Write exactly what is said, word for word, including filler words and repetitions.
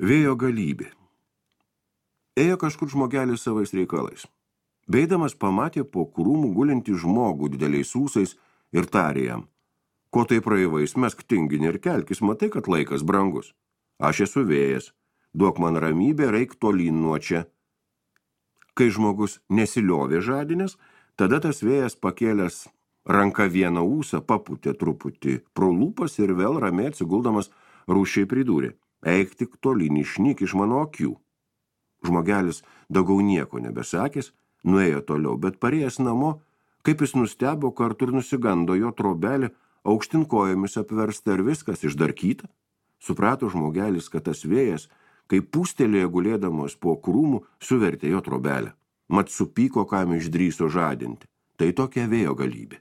Vėjo galybė. Ėjo kažkur žmogelis savais reikalais. Beidamas pamatė po krūmų gulintį žmogų dideliais ūsais ir tarė jam: ko tai praeivais, mesk tinginį ir kelkis, matai, kad laikas brangus. Aš esu vėjas, duok man ramybę, reik tolyn nuo čia. Kai žmogus nesiliovė žadinės, tada tas vėjas pakėlęs ranka vieną ūsą paputė truputį pro lūpas ir vėl ramiai atsiguldamas rūsčiai pridūrė: eik tik tolyn, išnyk iš mano akių. Žmogelis daugiau nieko nebesakęs, nuėjo toliau, bet parėjęs namo, kaip jis nustebo, kartu ir nusigando jo trobelė aukštin kojomis apversta ir viskas išdarkyta. Suprato žmogelis, kad tas vėjas, kai pūstelėjo gulėdamos po krūmų, suvertė jo trobelę. Mat supyko, kam išdrįso žadinti. Tai tokia vėjo galybė.